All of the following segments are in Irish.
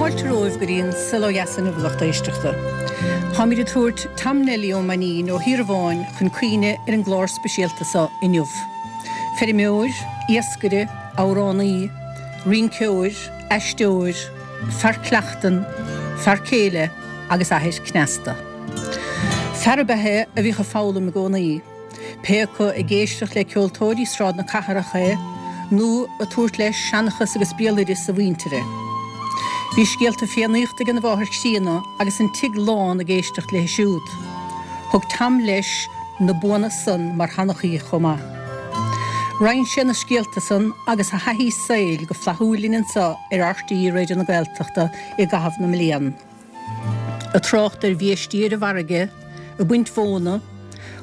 Fáilte romhaibh go dtí an Saol Ó Dheas inniu, a lucht éisteachta. Táimid ag tabhairt Tom Neilí Ó Mainnín ó Thír an Bháin chun cuimhne ar an gclár speisialta seo inniu. Feirmeoir, iascaire, amhránaí, rinceoir, aisteoir, fear cleachtan, fear céile agus athair cneasta. Fear ab ea é a bhíodh ag foghlaim i gcónaí, pé acu ag éisteacht le ceoltóirí Sráid na Cathrach é nó ag tabhairt leis seanchas agus béaloideas a mhuintire. Bhí scéalta Fiannaíochta ag an mháthair chríonna agus an tigh lán ag éisteacht léi siúd. Thug Tom leis na buanna san mar sheanchaí chomh maith. Roinn sé na scéalta san agus a thaithí saoil go flaithiúil linn anseo ar RTÉ Raidió na Gaeltachta i gcaitheamh na mblian. Ag trácht ar bhiaistí ar an bhfarraige, ag baint mhóna,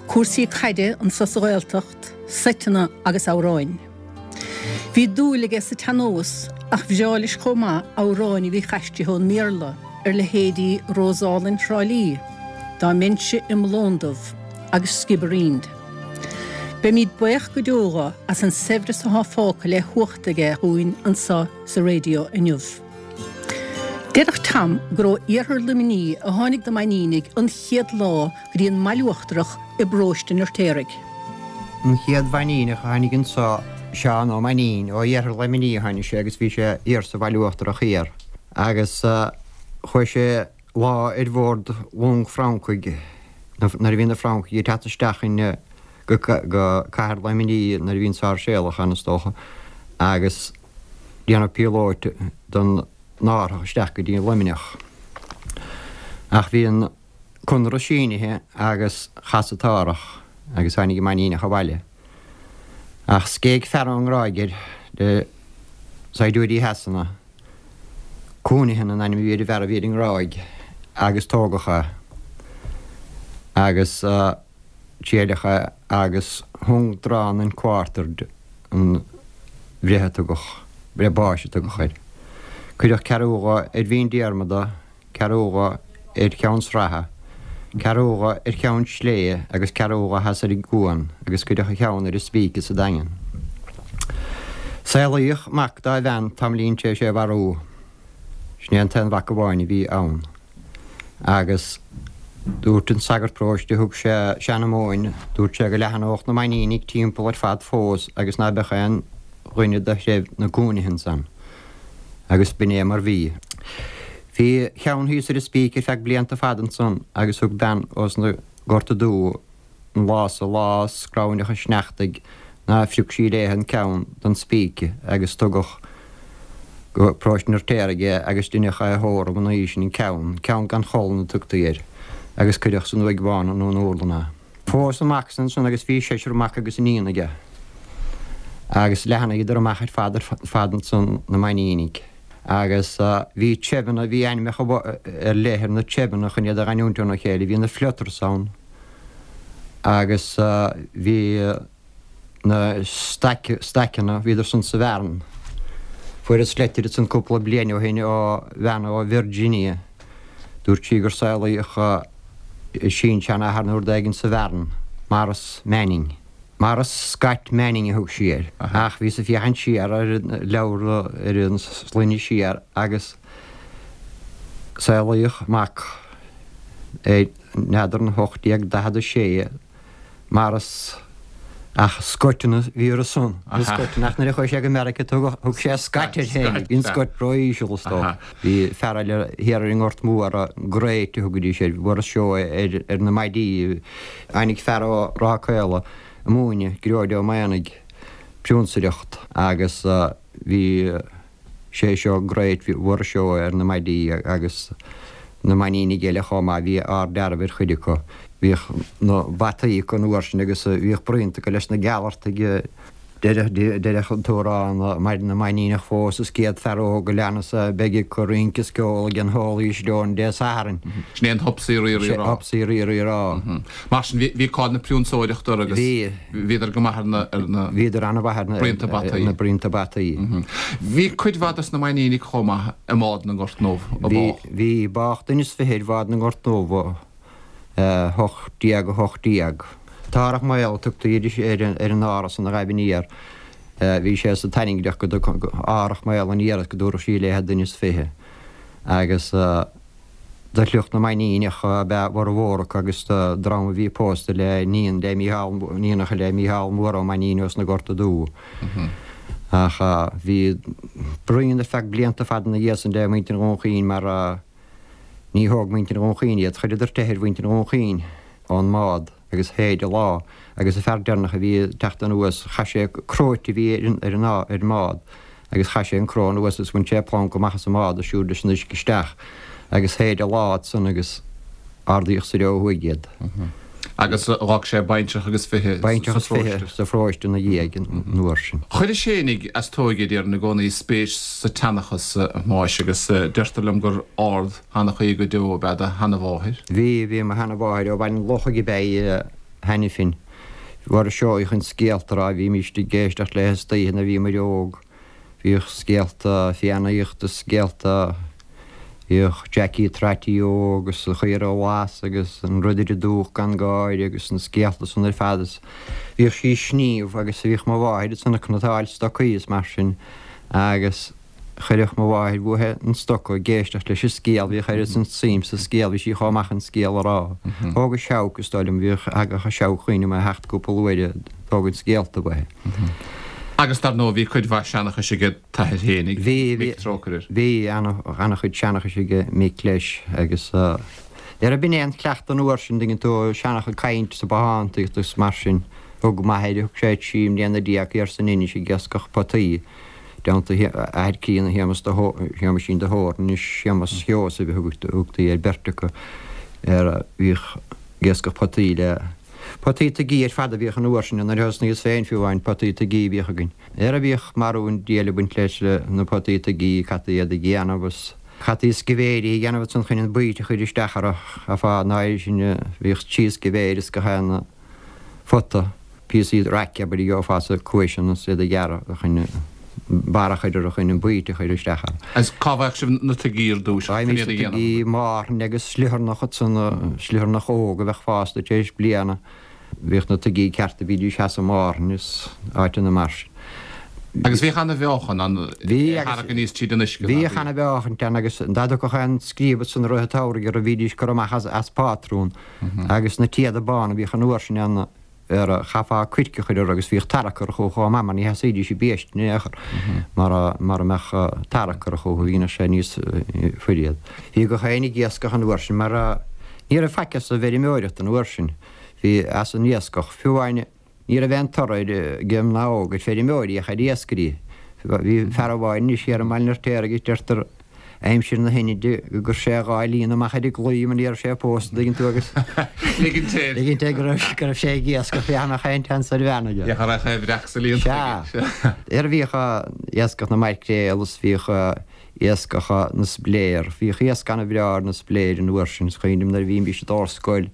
cúrsaí caide anso sa Ghaeltacht, seiteanna agus amhráin. Bhí dúil aige sa tsean-nós ach bhreá leis chomh maith amhráin a bhí aistrithe ón mBéarla, ar leithéidí Rós Álainn Thrá Lí, Dá mbeinnse i mo lón dubh agus Skibbereen. Beimid baoch go deo dho as an saibhreas athá fágtha le huacht aige dhúinn anso sa raidió inniu. Deireadh Tom gur ó iarthar Luimní a tháinig na Mainnínigh an chéad lá go dtí an mBaile Uachtarach i bparóiste an Fheirtéaraigh. An chéad Mhainníneach a tháinig anso, Seán Ó Mainnín, ó iarthar Luimní a tháinig sé agus bhí sé thiar sa Bhaile Uachtarach thiar agus chuaigh sé lá ar bhord long Francaigh nuair a bhí na Francaigh ag teacht isteach in go cathair Luimní nuair a bhí an Sáirséalach ann is dócha agus déanamh píolóit don árthach isteach go dtí Luimneach. Ach bhí an conradh sínithe agus chas an t-árthach agus tháinig an Mainníneach abhaile. Ach scéig fear ón nGráig air le saighdiúirí Shasana. Counihan an ainm a bhí ar an bhfear a bhí ar an nGráig agus tógadh é agus triaileadh é agus hung, drawn and quartered an bhreith a tugadh, breith báis a tugadh air. Cuireadh ceathrú dho ar Mhín Diarmada ceathrú dho ar Cheann Sratha, ceathrú dho ar Cheann Sléibhe agus ceathrú dho theas ar an gCuan agus cuireadh a cheann ar an spíce sa Daingean. Saolaíodh mac dá bhean tamaillín tar éis é a mharú. Sin é an t-aon mhac amháin a bhí ann. Agus dúirt an sagart paróiste, thug sé seanmóin, dúirt sé go leathnódh na Mainnínigh timpeall ar fad fós agus ná beadh aon dhuine de threibh na gCounihans ann. Agus b'in é mar bhí. Bhí a cheann thíos ar an spíce ar feadh blianta fada ansan agus thug bean ós na Gorta Dubha an lá sa lá scrabhainneach an sneachtaidh ná phrioc sí léithe an ceann don spíce agus tugadh go Paróiste an Fheirtéaraigh é agus deineadh é a thórramh ina dhiaidh sin an ceann, ceann gan cholainn a tugtaí air, agus cuireadh san uaigh bhán i nDún Úrlann é. Phós an mac san ansan agus bhí seisear mac agus iníon aige agus leathnaíodar amach ar fad ar fad ansan na Mainnínigh agus bhí treibheanna, bhí ainmneacha ar leith ar na treibheanna chun iad a ghiniúint óna chéile, bhí na Flutters ann agus bhí na Stackanna, bhíodar san sa Bhearn. Fuaireas leitir ansan cúpla bliain ó shin ó bhean ó Virginia. Dúirt sí gur saolaíodh a sin-seanathair nó rud éigin sa Bhearn, Maurice Manning. Maurice Scott Manning a thug sí air. Ach bhíos ag féachaint siar ar an leabhar, ar an sloinne siar agus saolaíodh mac ar n'fheadar in 1846, Maurice ach Scottan a bhí orthu san, na Scottan, ach nuair a chuaigh sé go Meiriceá tugadh, thug sé Scott air féin, bhí an Scott ró-íseal is dócha. Bhí fear eile thiar ar an nGort Mór, Great a thugaidís air, Maurice Seoighe ar, ar na maidí. Tháinig fear ó Ráth Caola ag múineadh, Gearóid Ó Maonaigh, prionsaireacht agus bhí, sé seo Great Mhuiris Seoighe ar na maidí agus na Mainnínigh eile chomh maith, bhí ard-dealramh ar chuid acu. Bhíodh na bataí acu an uair sin agus bhíodh bruíonta acu leis na Gealtartaigh. Deireadh an t-amhrán Maireann na Mainníneach fós is 100 fear óg a leanas é, beidh ag rince is ceol ag an Holy Stone Dé Sathairn. Sin é an Hupsaí Rí Rí Rá. Hupsaí Rí Rí Rá. Mar sin, bhí cáil na prionsóireachta orthu agus bhíodar go maith ar na, ar na. Bhíodar an-mhaith ar na. Bruíonta bataí. Na bruíonta bataí. Bhí cuid mhaith dos na Mainnínigh chomh maith i mBád na nGort nDubh a bádh. Bhí, bádh duine is fiche ar Bhád na nGort nDubh 1818. T-Árthach Maol a tugtaí ar an árthach san a ghaibh aniar. Bhí sé sa tairngreacht go dtug Árthach Maol aniar is go dtabharfadh sí léithe duine is fiche. Agus de shliocht na Mainníneach ab ea a bhformhór acu agus de dhream a bhí pósta le níon le Mícheál, níonacha le Mícheál Mór Ó Mainnín ós na Gorta Dubha. Ach bhí bruíon ar feadh blianta fada ina dhiaidh san le muintir Dhún Chaoin mar ní thóg muintir Dhún Chaoin iad. Chuireadar teitheadh ar mhuintir Dhún Chaoin ón mbád agus shéid a lá agus an fear deireanach a bhí ag teacht anuas chaith sé cróite a bhí ar an ar an mbád agus chaith sé an cró anuas agus bhain sé planc amach as an mbád agus siúd leis an uisce isteach agus shéid a lá ansan agus ardaíodh soir ó thuaidh iad. Agus dh'fhág sé baintreach agus 20 Baintreach is 20 sa pharóiste ina dhiaidh an uair sin. Chuir a Fhéinig as tóige déarfainn i gcónaí spéis sa tseanchas a Thomáis agus deirtear liom gur ard-sheanchaí go deo ab ea do sheanamháthair. Bhí, bhí mo sheanamháthair ó Bhaile an Lochaigh ab ea í a Hainifin. Mhair Seoighe chun scéalta a rá, bhímíst ag éisteacht léi istoíche nuair a bhíomair óg. Bhíodh scéalta Fiannaíochta, scéalta, bhíodh Jackie Trotty Óg agus an Chaora Ghlas agus an Ridire Dubhach gan Gáire agus na scéalta san ar fad is bhíodh sí ag sníomh agus bhíodh mo mháthair ansan ag cniotáil stocaí is mar sin agus Chuireadh mo mháthair uaithi an stoca ag éisteacht leis an scéal, bhíodh oiread san suim sa scéal, bhí sí chomh maith chun scéal a rá. Thóg an Seabhac, is dóigh liom, bhíodh, thagadh an Seabhac chugainn i theacht cúpla uair ag tógaint scéalta uaithi. Agus dar ndóigh bhí cuid mhaith seanchais aige t'athair fhéinig, Bhí, bhí, Mick trócaire air. Bhí, ana-chuid seanchais aige Mick leis agus ar b'in é an cleachtadh an uair sin, tuigeann tú, seanchas caint sa bothántaíocht agus mar sin. Thug m'athair, thug sé 13 mbliana thiar san Inis ag iascach potaí. dteannta a athair críonna Shéamus de Shéamuisín de hÓrn, anois Séamus Sheosaimh a thugtaí ar beirt acu, ar bhíodh ag iascach potaí le potaí tuigí ar fad a bhíodh an uair sin, nuair a thosnaíos féin fiú amháin potaí tuigí a bhíodh againn. Ar a bhíodh marú an diabhail ag baint leis na potaí tuigí, chaití iad a dhéanamh agus chaití scibhéirí a dhéanamh ansan chun an baoite a chur isteach orthu, chaithfeá an áirithe sin bhíodh trí scibhéir is gach aon phota, píosaí raic abair a gheofá sa chuaiseanna is iad a ghearradh chun barra a chur orthu chun an baoite a chur isteach ann. Agus cá bhfaigheadh sibh na tuigí ar dtúis chun iad a dhéanamh? Tuigí márthain agus sliotharnach ansan, sliotharnach óg a bheadh fásta tar éis bliana. Bhíodh na tuigí cearta, bhídís theas i Márthain is áiteanna mar sin. Agus bhíodh ana-mheáchan ann, é a tharrac aníos tríd an uisce, ná bhíodh? Bhíodh ana-mheáchaint ann agus dá dtiocfadh aon scríob ansan i rith an tsamhraidh orthu bhídís curtha amach as pátrún. Agus na téada bána a bhíodh an uair sin ann ar chaithfeá coirce a chur orthu agus bhíodh tarrac orthu chomh maith mar ní sheasaídís i bpéist in aon chor mara mbeadh tarrac orthu chucu, dhéanadh sé níos fuaire iad. Bhí gach éinne ag iascach an uair sin mar ní raibh faic as an bhfeirmeoireacht an uair sin, bhí as an iascach. Fiú amháin Ní raibh aon toradh ag mná óga ar feirmeoirí ach ar iascairí. Bhí fear amháin anois thiar i mBaile an Fheirtéaraigh agus deirtear aimsir na hInide gur chuir sé a dhá líne amach ar an gclaí mar ní raibh sé pósta an dtuigeann tú agus Ligint air. ligint air go raibh go raibh sé ag iascach féach nach aon tseans ar bhean aige. Féach an raibh aon bhreac sa líon Sea. Ar bhíodh iascach na maicréal is bhíodh iascach na spléar. Bhíodh iasc ana-bhreá ar na spléir an uair sin. Is cuimhin liom nuair a bhímís ag dul ar scoil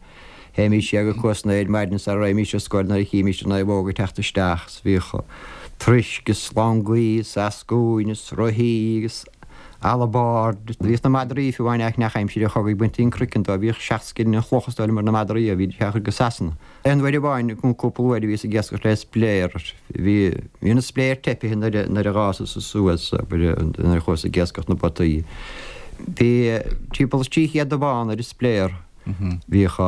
Théimís siar go Cuas an Aeir maidin sara raghaimís ar scoil nuair a chímís an naomhóg ag teacht isteach 's bhíodh troisc is langaí is eascúin is rothaí agus alabáird. Bhíodh na madraí fiú amháin ach neach aimsir an chogaidh baintí an croiceann dóibh. Bhíodh seacht scilling an chloch is dóigh liom ar na madraí a bhídís á chur go Sasana. Aon uair amháin nó cúpla uair a bhíos ag iascach le spléar. Bhí bhí na spléir teipithe nuair a nuair a dh'fhásas suas abair nuair a chuas ag iascach na bpotaí. Bhí timpeall is 300 dubhán ar an spléar. Bhíodh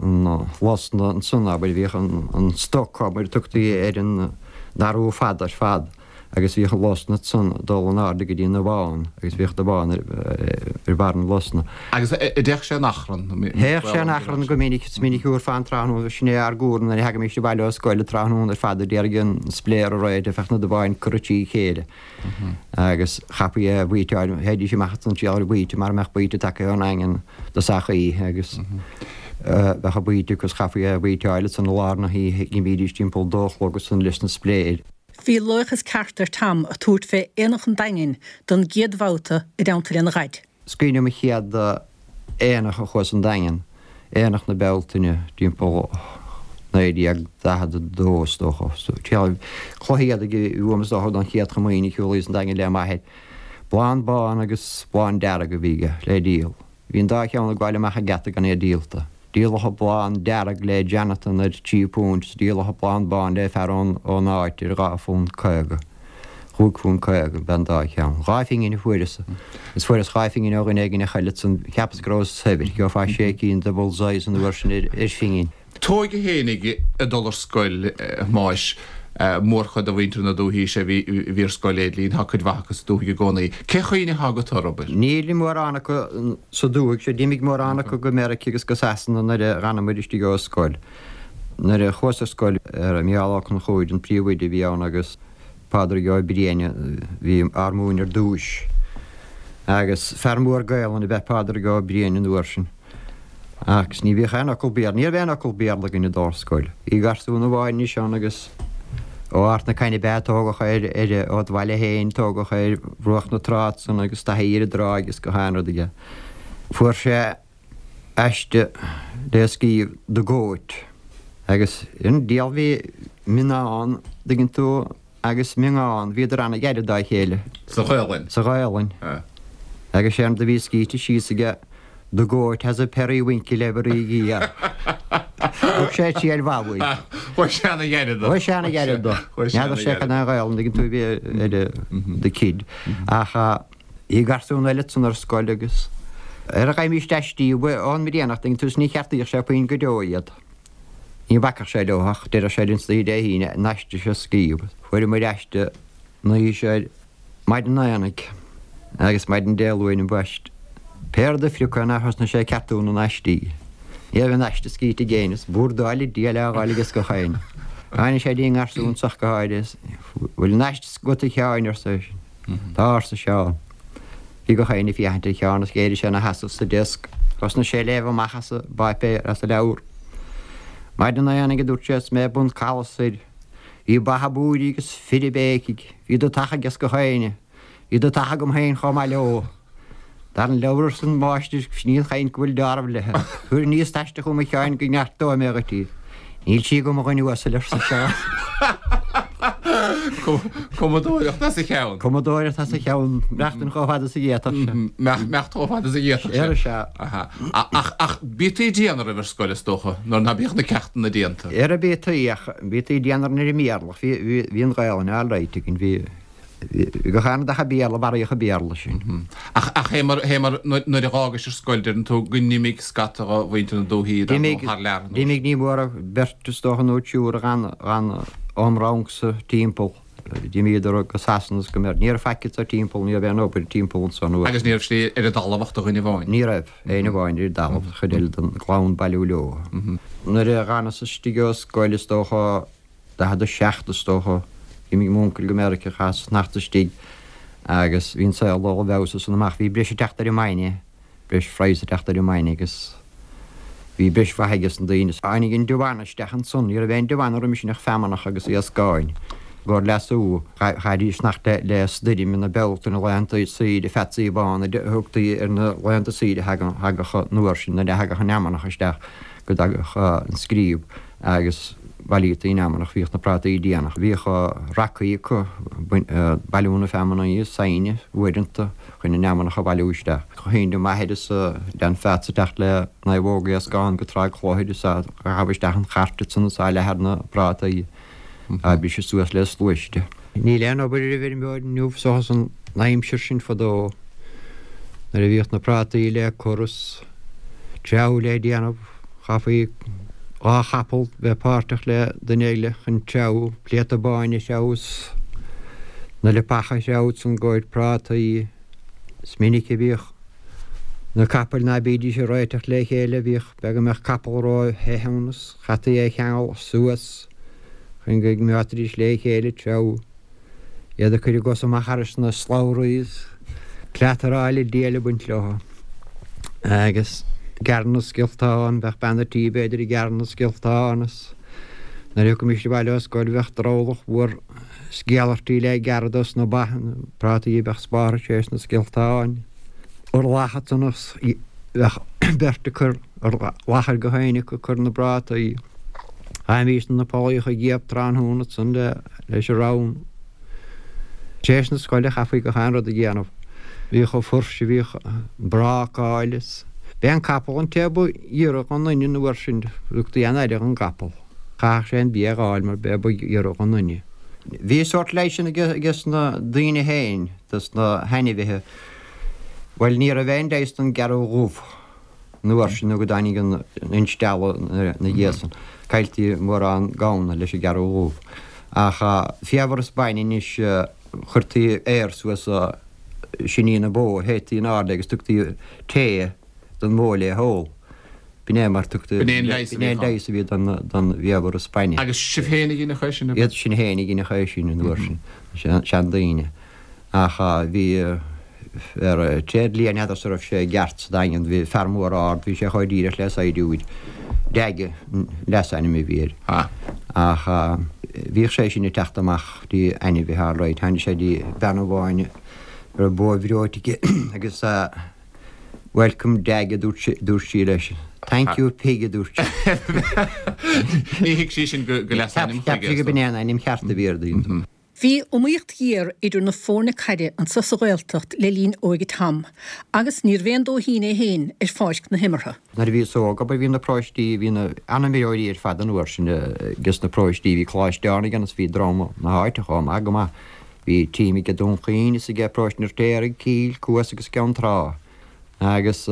an losna ansan, abair, bhíodh an stoc, abair, tugtaí ar an ndarú fada ar fad agus bhíodh an losna ansan ag dul in airde go dtí an dubhán agus bhíodh dubhán ar bharr na losna. Agus a' dtéadh sé in achrann? Théadh sé in achrann go minic, is minic uair fán tráthnóna, sin é ár gcúram nuair a thagaimíst abhaile ó scoil an tráthnóna ar fad d'iarraidh an spléar a réiteach, bheadh na dubháin curtha trí chéile. Agus chaithfí é a bhaoiteáil, théidís amach ansan triail ar bhaoite mara mbeadh baoite tagtha ón nDaingean i dtosach oíche agus bheadh an baoite acu is chaithfí é a bhaoiteáil ansan i lár na hoíche, d'imídís timpeall dó a chlog ansan leis na spléir. Bhí laochas ceart ar Tom ag tabhairt fé Aonach an Daingin don gcéad bhabhta i dteannta lena Dhaid. Is cuimhin liom an chéad aonach a chuas an Daingean, Aonach na Bealtaine, timpeall 1942 is dócha. Cloich éadaigh a bhí uaim is dócha don chéad chomaoine a shiúlaíos an Daingean le m'athair. Blán bán agus blán dearg a bhí aige le díol. Bhí an dá cheann ag gabháil amach an geata gan iad díolta. Díoladh an blán dearg le Jonathan ar trí púint is díoladh an blán bán le fear ón áit ar dhá phunt 50. Chúig phunt 50 ab ea an dá cheann. 2 phingin a fuaireas. Is fuaireas 2 phingin ó dhuine éigin a chaill ansan. Cheapas go rabhas saibhir. Gheofá sé cinn de Bullseyes an uair sin ar phingin. T'óige fhéinig ag dul ar scoil, a Thomáis. Mórchuid de mhuintir na dúthaí sea bhí bhí ar scoil Éidlín, tá cuid mhaith acu sa dúthaigh i gcónaí. Cén chuimhne atá agat orthu, abair? Níl mórán acu sa dúthaigh seo. D'imigh mórán acu go Meirice agus go Sasana nuair a dh'fhanamair istigh ó scoil. Nuair a chuas ar scoil, Micheál Ó Conchúir an príomhoide a bhí ann agus Pádraig Ó Briain a bhí ár múineadh ar dtúis. Agus fear mór Gaelainne ab ea Pádraig Ó Briain an uair sin. Agus ní bhíodh aon fhocal Béarla, ní raibh aon fhocal Béarla againn ag dul ar scoil. Bhí garsún amháin anois ann agus ó Ard na Caithne ab ea, tógadh é ar, ón bhaile féin, tógadh é ar bhruach na trá ansan agus taithí ar an dtráigh agus gach aon rud aige. Fuair sé aiste le scríobh The Goat agus an diabhal bhí mionnán, dtuigeann tú, agus miongán, bhíodar ana-ghairid dá chéile. Sa Ghaelainn. Sa Ghaelainn. Agus séard a bhí scríte síos aige The goat has a periwinkle every year. Thug sé triail mhaith uaidh. Chuaigh sé ana-ghairid dó. Chuaigh sé ana-ghairid dó. N'fheadar sé cad é an Ghaelainn, dtuigeann tú, a bhí ar the kid. Ach Bhí garsún eile ansan ar scoil agus ar a gheibhimíst aistí uaidh Eoghan Brianach dtuigeann tú is ní cheartaíodh sé puinn go deo iad. Ní bhacfadh sé leo ach deireadh sé linn istoíche Dé hAoine an aiste seo a scríobh. Fuaireamair aiste an oíche seo ar maidin an aonaigh agus maidin Dé Luain ambaist. Pé rud a phrioc é nár thosnaigh sé ag ceartú na n-aistí. Ní raibh aon aiste scríte ag éinne is bordáil an diabhail á fháil aige gach éinne. Tháinig sé dtí an ngarsún so ach go háirithe is bhfuil an aiste agat a Sheáin arsa eisean. Tá, arsa Seán. Bhí gach éinne ag féachaint ar Sheán is d'éirigh sé ina sheasamh sa deasc. Thosnaigh sé ag léamh amach as an bpáipéar, as an leabhar. Maidin an aonaigh, a dúirt sé, is mé ag bun Caladh soir. Bhí ba ag búirigh agus fir ag béicigh. Bhí dutach ages gach éinne. Bhí dutach agam féin chomh maith leo. Dar an leabhar arsa an máistir, sin í an chaint go bhfuil deáramh léi. Tabhair aníos t-aiste chugam a Sheáin go gceartóidh mé dhuit í. Níl sí agam a dhuine uasail arsa Seán. Cumadóireacht as a cheann. Cumadóireacht as a cheann. Maireachtaint chomh fada is a d'fhéadfadh sé. Maireachtaint chomh fada is a d'fhéadfadh sé. Ar sea. Ach, ach bítaí dian oraibh ar scoil is dócha, nuair ná bíodh na ceachtanna déanta. Ara bítaí, ach bítaí dian orainn ar an mBéarla. Bhí an Ghaelainn alright againn. Bhí. Gach aon rud ach an Béarla, maraíodh an Béarla sin. Ach, ach fé mar, fé mar, nuair a dh'fhágais ar scoil, deireann tú go n-imigh scata dho mhuintir na dúthaí, dar ndóigh, thar lear. D'imigh, ní mór ach beirt is dócha nó triúr a dh'fhan, dh'fhan óm rangsa timpeall. D'imíodar go Sasana is go Meir-. Ní raibh faic anso timpeall, ní raibh aon obair timpeall anso an uair. Agus ní raibh slí ar an dtalamh ach do dhuine amháin. Ní raibh, éinne amháin ar an dtalamh, an chuid eile den gclann bailiú leo. Nuair a dh'fhanas istigh ó scoil is dócha, 47 is dócha. D'imigh m'uncail go Meiriceá, chaitheas fanacht istigh agus bhí an saol dul i bhfeabhas as san amach. Bhí breis ag teacht ar an mbainne, breis phraghas ag teacht ar an mbainne agus bhí breis mhaith ages na daoine. Tháinig an deamhan isteach ansan, ní raibh aon deamhan roimis sin ach feamnach agus iascáin. I gcomhair leasú, chaithfidís fanacht le stoirm na Bealtaine, laethanta saoire, pheatsaí bána a thugtaí ar na laethanta saoire a thagadh an uair sin nuair a thagadh an fheamnach isteach go dtagadh an scríob. agus bhailítaí an fheamnach, bhíodh na prátaí déanach, bhíodh racaí acu, bailiú na feamnaí is saighne uaireanta chun an fheamnach a bhailiú isteach. Chuimhnigh m'athair is lean Pheats ag teacht le naomhóga iascán go Tráigh Chlochair is á ghabh isteach an chairt ansan is á leathadh ar na prátaí á briseadh suas le sluaiste. Níl aon obair ar an bhfeirmeoir inniu seachas an aimsir sin fadó nuair a bhíodh na prátaí le cur is treabhadh le déanamh. Chaithfí 2 chapall bheith páirteach le duine eile chun treabhadh, pléata báin a threabhadh is na leapacha a threabhadh ansan i gcomhair prátaí. Is minic a bhíodh na capaill ná bídís ag réiteach le chéile, bhíodh, b'fhéidir go mbeadh capall ró-the ann is chaití é a cheangal suas chun go gcoimeádfaidís le chéile ag treabhadh. Iad ag cur a gcos amach thairis na slabhraí is cleataráil an diabhail ag baint leo. Agus gearradh na scioltán, bheadh bean a' tí b'fhéidir ag gearradh na scioltán is nuair a thiocfaimíst abhaile ó scoil bheadh drabhlach mhór sciallairtí le gearradh dos na ba, na prátaí a bheadh spártha théis na scioltáin. Urlach ansan is bheadh beirt ag cur urlach ar gach éinne acu ag cur na bprátaí. Chaithimís na pollaíocha a ghiobadh tráthnóna ansan le leis an rann. Tar éis na scoile chaithfí gach aon rud a dhéanamh. Bhíodh an fuirse, bhíodh an brácáil is. B'é an capall an té ba ghiorra dhon duine an uair sin, thugtaí an-aire dhon gcapall. Chaithfeadh sé an bia a dh'fháil mar b'é ba ghiorra dhon duine. Bhí sórt leighis sin ages na daoine féin, dos na hainmhithe. Bhuel, ní raibh aon leigheas don gcearrbh dhubh an uair sin nó go dtáinig an instealladh ina dhiaidh san. Cailltí mórán gamhna leis an gcearrbh dhubh. Ach faobhar is bainne anois, chuirtí aer suas siní na bó, théití in airde agus tugtaí tae don mbó le hól. B'in é mar tugtaí, B'in é an leigheas a b'in é an bhíodh ann. leigheas a bhí don bhfaobhar is bainne. Agus sibh féin a dheineadh é sin, ab ea? Iad sinn féin a dheineadh é sin an uair sin, na seandaoine. Ach bhí ar tréidlia, n'fheadarsa raibh sé i gceart sa Daingean, bhí fear mór ard, bhí sé chomh díreach le saighdiúir. Dag an leasainm a bhí air. Ach bhíodh sé sin ag teacht amach dtí ainmhithe alright, tháinig sé dtí bean amháin a raibh bó bhreoite aici agus Welcome Dag a dúirt sí leis. Thank you pig a dúirt sí. Ní thuig sí sin go leasainm chuige. Cheap sí go b'in é an ainm cheart a bhí air daoine. Bhí iomaíocht ghéar idir na foirne caide anso sa Ghaeltacht le linn óige Tom agus níorbh aon dóithín é féin ar pháirc na himeartha. Nuair a bhíos óg, abair, bhí na paróistí, bhí na an-imreoirí ar fad an uair sin ages na paróistí, bhí Coláiste Áirne ann is bhí dream na háite chomh maith go maith. Bhí team aige Dún Chaoin is aige Paróiste an Fheirtéaraigh, Cill, Cuas agus Ceann Trá. Agus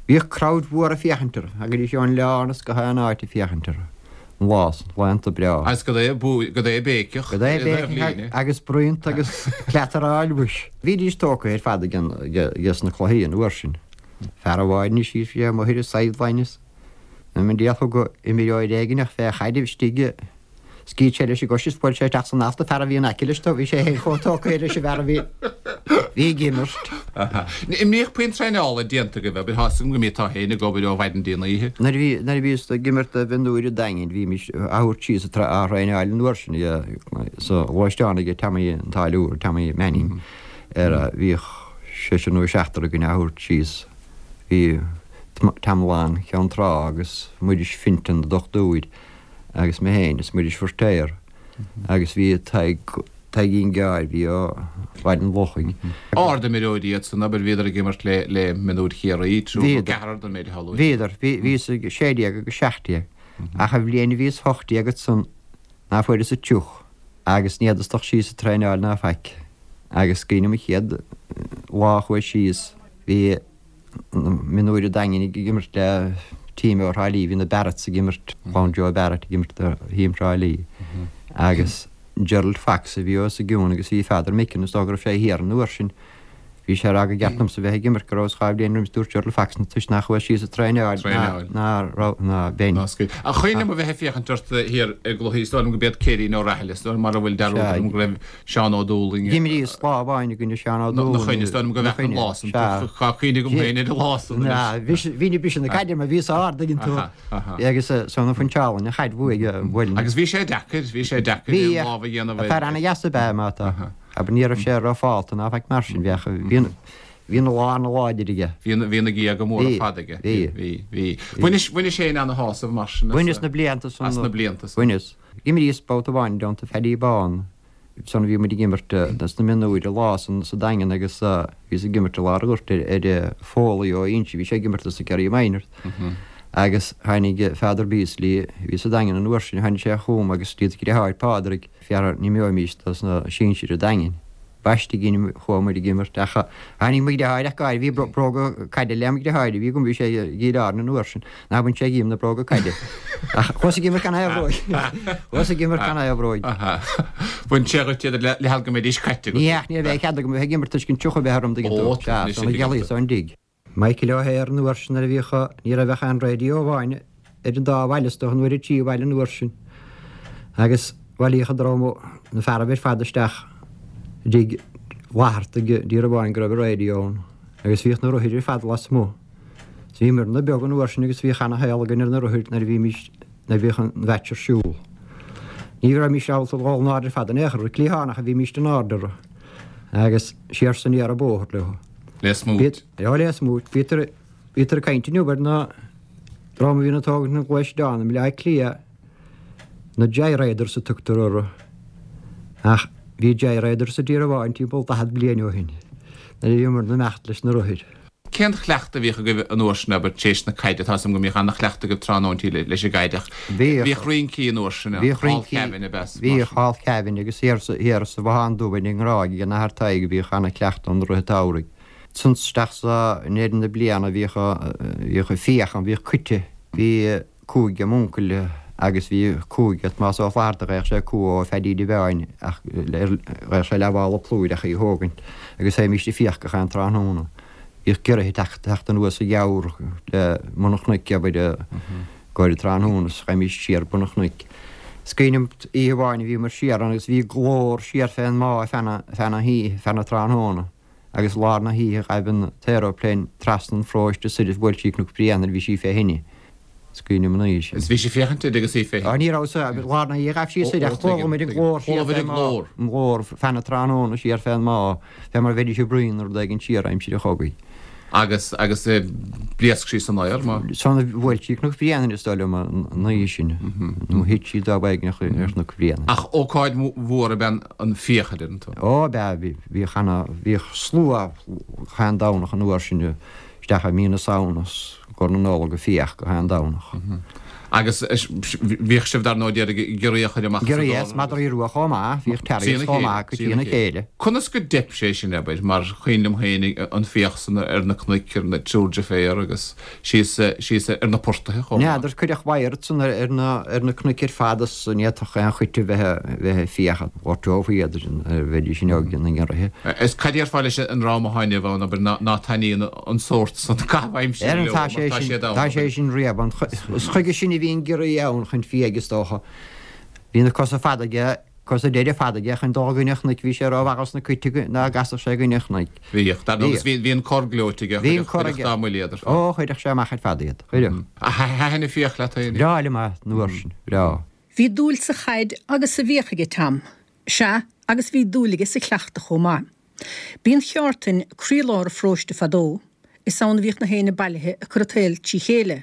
bhíodh crowd mhór ag féachaint orthu. Thagaidís ón oileán is gach aon áit ag féachaint orthu. An lá san, laethanta breá. Agus cad é cad é béiceach Cad é béiceach agus bruíonta agus cleataráil mhuis. Bhídís tógtha ar fad ages na cluichí an uair sin. Fear amháin anois bhí sé amuigh ar an sideline is an diabhal thug imreoir éigin fé chaid istigh Scaoil sé leis an gcois is bhuail sé isteach san ealta fear a bhí in aice leis dó. Bhí sé féin chomh tógtha leis an bhfear a bhí bhí ag imirt. An mbíodh puinn traenála déanta agaibh, abair, tá 'fhios agam go mbíteá féin ag obair ó mhaidin dtí an oíche. Nuair a bhí nuair a bhíos ag imirt do mhionúir an Daingin bhímis á thabhairt síos á thraenáil an uair sin sa ghluaisteán aige Tommy an Táilliúir, Tommy Manning, ar a bhíodh seisear nó seachtar againn á thabhairt síos. Bhí Tom Long Cheann Trá agus Muiris Fintan, an dochtúir. agus mé féin is Muiris Feirtéar agus bhí Tadhg, Tadhgín Gearr, bhí ó Bhaile an Lochaigh. Ard-imreoirí iad san, abair, bhíodar ag imirt le, le mionúir Chiarraí, triúr nó ceathrar den méid atá luaite. Bhíodar, bhí, bhíos ag 16 agus 17, ach an bhliain a bhíos 18 ansan ná fuaireas an triuch agus ní fhéadas dul síos ag traenáil ná faic agus is cuimhin liom an chéad lá a chuas síos, bhí. Mionúir an Daingin ag imirt le team ó Thrá Lí, bhí na Barretts ag imirt, clann Joe Barrett ag imirt do theam Thrá Lí agus Gerald Fox a bhí os a gcionn agus bhí Father Mickin, is dócha go raibh sé thiar an uair sin, bhí sé ag rá gur cheart domsa bheith ag imirt go rabhas 2 bhliain roimis, dúirt Gerald Fox na toisc nach chuas síos ag traenáil ná raibh ná bheinn. Ach cuimhin liom a bheith ag féachaint ort thiar i gcluichí, is dóigh liom go b'iad Céirín Ó Rathaille, is dóigh liom mara bhfuil dearúd orm go raibh Seán Ó Dúlaing. D'imríos lá amháin i gcoinne Seán Ó Dúlaing. Na coinne, is dóigh liom go bhfeac an lá san. Tá cuimhne agam féin ar an lá san anois. Bhí na briseadh na caide mar bhíos ard ag an tú. Agus san a phuinseálann an chaid bhuaidh a bhuail. Agus bhí sé deacair, bhí sé deacair aon lámh a dhéanamh air. Fear ana-dheas ab ea é má tá. Abair ní raibh sé rófhálta ná faic mar sin. Bheadh, bhí an, bhí an lá ana-láidir aige. Bhí na, bhí na géaga móra fada aige. Bhí. Bhí, bhí. Bhainis, bhainis féin ana-shásamh mar sin as. Bhaineas na blianta san. As na blianta san. Bhaineas. D'imríos babhta amháin i dteannta Phaddy Bán san bhí muid ag imirt sna mionúir an lá san sa Daingean agus bhíos ag imirt i lár an ghoirt ar Foley ó Inse, bhí sé ag imirt dos na Kerry Minors agus tháinig Father Beasley, a bhí sa Daingean an uair sin, tháinig sé chugam agus d'iad a dheartháir Pádraig, fear a n-imreoimís dos na sinsir an Daingin. B'aisteach againn chuaigh muid ag imirt ach tháinig mo dheartháir ach go háirithe, bhí bróga caide le mo dheartháir a bhí agam, bhí sé i gCill Airne an uair sin, ná bain sé dhíom na bróga caide. Ach chuas ag imirt gan aon bhróig. Chuas ag imirt gan aon bhróig. Bhain sé dhuit iad le hal go mbeidís caite agat. Ní ach ní raibh cead agam a bheith ag imirt toisc an triuch a bheith orm tuigeann tú. Sea, sna gealaí is ón dtigh. Michael O'Hare an uair sin nuair a bhíodh, ní raibh ach aon raidió amháin ar an dá bhaile is dócha nó ar an tríú bhaile an uair sin agus bhailíodh an dream, na fearaibh ar fad isteach i dtigh Fhlathartaigh i dTír Amháin go raibh an raidió ann agus bhíodh na rothair ar fad lasmuigh. So bhíomarna beag an uair sin agus bhíodh ana-shaol againn ar na rothair nuair a bhímís, nuair a bhíodh an mheaits ar siúl. Ní raibhmís ábalta dhul in airde ar fad in aon chor, cliathánach a bhímís in airde orthu agus siar 's aniar an bóthar leo. Le smúit. Ó, le smúit. Bítear, bítear ag caint inniu ar na dream a bhíonn ag tógaint na ngluaisteán i mBaile Átha Cliath, na Joyriders a tugtar orthu. Ach bhí Joyriders i dtír amháin timpeall 40 bliain ó shin, nuair a bhíomar ag imeacht leis na rothair. Cén chleachtadh a bhíodh agaibh an uair sin, abair, tar éis na caide? Tá 'fhios a'm go mbíodh ana-chleachtadh agaibh tráthnóintí leis an gcaid ach bhíodh rincí an uair sin, Bhíodh Hall rincí, Kevin ab ea? Bhíodh Hall Kevin agus thiar sa, thiar sa Bhothán Dubh ar an nGráig ag an Athair Tadhg bhíodh ana-chleachtadh ann i rith an tsamhraidh. Ansan isteach sa, i ndeireadh na bliana bhíodh, bhíodh fiach ann, bhíodh coite, bhí cúig ag m'uncail agus bhí cúig ag Tomás Ó Flatharta, gheibheadh sé cú ó Pheaidí de Bheáin ach gheibheadh sé leathmhála plúir ach í a thógaint agus théimíst ag fiach gach aon tráthnóna. Bhíodh giorraithe ag teacht anuas sa gheamhar le bun an chnoic, abair, i gcomhair an tráthnóna is gheibhimís siar bun an chnoic. Is cuimhin liom oíche amháin a bhíomar siar ann agus bhí glór siar fén mbá feadh na hoíche, feadh na tráthnóna agus lár na hoíche ghaibh an t-aeroplane trasna an pharóiste soir is bhuail sí Cnoc Bréanainn, bhí sí fé thine. Is cuimhin liom an oíche sin. Is bhí sí ag féachaint uirthi agus í fé thine. Ó, ní raibh sa, lár na hoíche ghaibh sí soir ach chuala muid an glór siar fén mbá, an glór feadh na tráthnóna siar fén mbá, fé mar a bheidís ag bruíon nó rud éigin siar aimsir an chogaidh. Agus, agus phléasc sí san aer, má. San bhuail sí Cnoc Bréanainn is dóigh liom an oíche sin, nó thit sí dá b'éigean ar Chnoc Bréanainn. Ach ócáid mhór ab ea an fiach, a deireann tú. Ó, ab ea, bhí, bhíodh ana, bhíodh slua chaon Domhnach an uair sin isteach i mí na Samhna is. gcomhair na Nollag ag fiach gach aon Domhnach. Agus bhíodh sibh dar ndóigh d'iarraidh giorria a chur amach as an Giorria is madraí rua chomh maith, bhíodh terriers chomh maith acu trína chéile. Conas go dteip sé sin, abair, mar cuimhin liom féin an fiach san ar na cnoic, ar na triúr deirféar agus síos síos ar na portaithe chomh maith. N'fheadar, cuireadh wire ansan ar na ar na cnoic ar fad is ní fhéadfadh aon chait a bheith bheith ag fiach, ghortófaí iad nuair a bheidís in óige na ngiorraithe. Is cad déarfá leis an dream atá inniu ann, abair, ná taitníonn an sórt san caitheamh aimsire leo mar tá siad ann. Tá sé sin riamh. Is chuige sin a bhí an giorria ann, chun fiaigh is dócha. Bhí na cosa fada aige, cosa deiridh fada aige chun dul i gcoinne an chnoic, bhí sé rómhaith dos na coite ná gcasfadh sé i gcoinne an chnoic. Bhíodh. Dar ndóigh, agus bhí an cor gleoite aige, chuirfeadh dá mbuille iad ar fad. Ó, chuirfeadh sé amach ar fad iad. Chuirfeadh. Thaitin an fiach leat féin? Breá liom é an uair sin, breá. Bhí dúil sa chaid agus sa bhfiach aige Tom. Sea, agus bhí dúil aige sa chleachtadh chomh maith. B'í an cheártain croílár an pharóiste fadó, is ann a bhíodh na héinne bailithe ag cur an tsaoil trí chéile.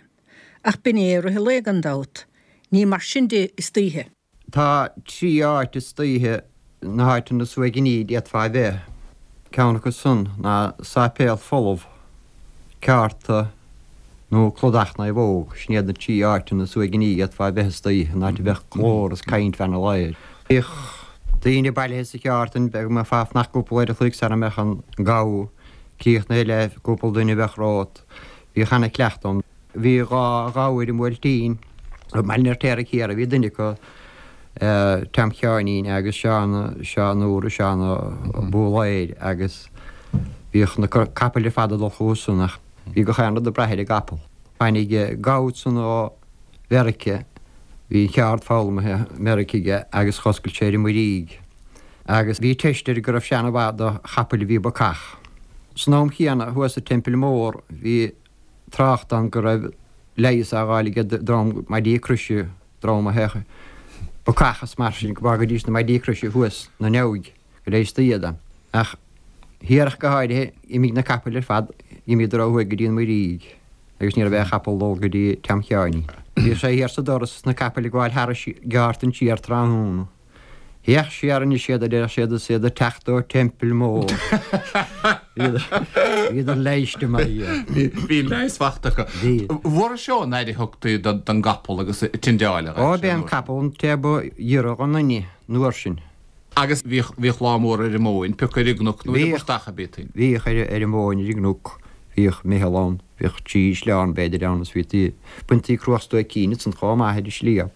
Ach b'in é i rith an lae gan dabht. Ní mar sin de istoíche. Tá trí áit istoíche, na háiteanna is uaigní d'fhéadfá a bheith. Ceann acu san ná sáipéal folamh, ceárta nó Cladach Naomhóg. Sin iad na trí áiteanna is uaigní a d'fhéadfá a bheith istoíche, an áit a bheadh glór is caint feadh an lae. Bhíodh daoine bailithe sa cheártain, go mbeifeá ag fanacht cúpla uair a chloig sara mbeadh an gabha críochnaithe le cúpla duine a bheadh romhat. Bhíodh ana-chleachtadh ann. Bhí dhá ghabha ar an mBuailtín, i mBaile an Fheirtéaraigh Thiar a bhí duine acu, Tom Sheáinín agus Seán, Seán Úr, Seán Búlaeir agus bhíodh na capaill ar fad ag dul chucu san ach bhí gach aon rud ag brath ar an gcapall. Tháinig gabha ansan ó Mheirice, bhí an cheárd foghlamtha i Meirice aige agus dh'oscail sé ar an Muirígh agus bhí teist air go raibh sé ana-mhaith do chapaill a bhí bacach. San am chéanna thuas sa Teampall Mór bhí trácht ann go raibh leigheas á fháil ag dream maidí croise, dream a théadh bacach is mar sin, go bhfágaidís na maidí croise thuas 'na neabhaidh, go leigheastaí iad ann. Ach thiar ach go háirithe, d'imigh na capaill ar fad, d'imíodar ó thuaidh go dtí an Muirígh agus ní raibh aon chapall ag dul go dtí Tom Sheáinín. Bhíodh sé thiar sa doras is na capaill ag gabháil thar an gceártain siar tráthnóna. Féach siar anois iad, a deireadh siad, is iad ag teacht ó Teampall Mór. Bhíodar leighiste mar dhea. Bhí leigheas fachta acu. Bhí. Mhór seo an aire a thugtaí don gcapall agus a tindeáil a Ó, b'é an capall an té ba ghiorra dhon duine an uair sin. Agus bhíodh, bhíodh lá mór ar an móin, pioc ar an gcnoc nó ar an bportach a bhítí. Bhíodh ar an móin ar an gcnoc, bhíodh meitheal ann. Bhíodh trí shleán b'fhéidir ann is bhítí, baintí cruach stuaicín ansan chomh maith ar an sliabh.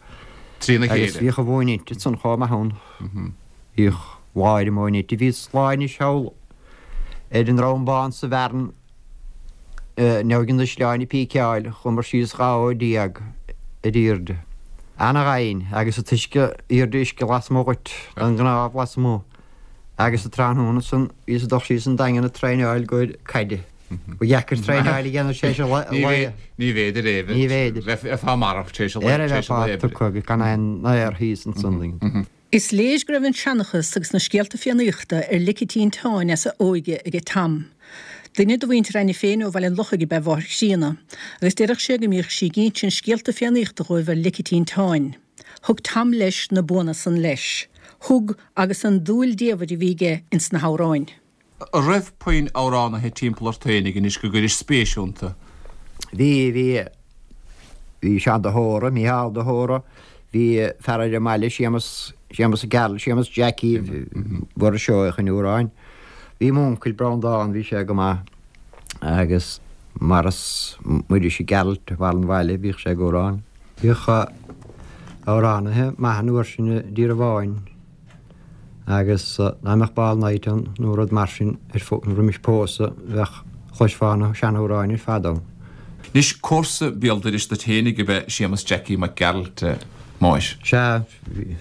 Trína chéile. Agus bhíodh an mhóin inte ansan chomh maith ann. Bhíodh lá ar an móin inte. Bhí lá anois thall ar an nDrom Bán sa Bhearn neabhaidh an Ísleáin ag píceáil, chuamar síos 12 fhód ar aoirde. Ana-dhoimhin agus an t-uisce aoirde uisce lasmuigh dhuit, don gcnámh lasmuigh. Agus an tráthnóna san bhíos ag dul síos an Daingean ag traenáil i gcomhair caide. Ba dheacair traenáil a dhéanamh tar éis an lae. Ní bhféidir é. Ní bhféidir. Bheifeá marbh tar éis an lae. Ar a bheifeá tugtha agus gan aon aer thíos ansan. Is léir go raibh an seanchas agus na scéalta Fiannaíochta ar lic a tinteáin as a óige aige Tom. Duine de mhuintir Ainne féin ó Bhaile an Lochaigh ab ea a mháthair chríonna, agus deireadh sé go mbíodh sí ag insint scéalta Fiannaíochta dhóibh ar lic a tinteáin. Thug Tom leis na buanna san leis. Thug agus an dúil diamhair a bhí aige ins na hamhráin. An raibh puinn amhránaithe timpeall ort fhéinig anois go gcuiris spéis iontu? Bhí, bhí. Bhí Seán de hÓra, Mícheál de hÓra, bhí fear ar an mbaile, Séamus, Séamus Mac Gearailt, Séamus Jackie Mhuiris Seoigheach ina amhráin. Bhí m'uncail Breandán, bhí sé go maith agus Maurice, Muiris Mac Gearailt, bharr an bhaile, bhíodh sé ag amhrán. Bhíodh amhránaithe maithe an uair sin i dTír an Bháin. Agus dá mbeadh ball night ann nó rud mar sin ar roimis pósadh bheadh, chloisfeá na seanamhráin ar fad ann. Anois, comharsa béal dorais duit fhéinig ab ea Séamus Jackie Mac Gearailt, a Mháis? Sea,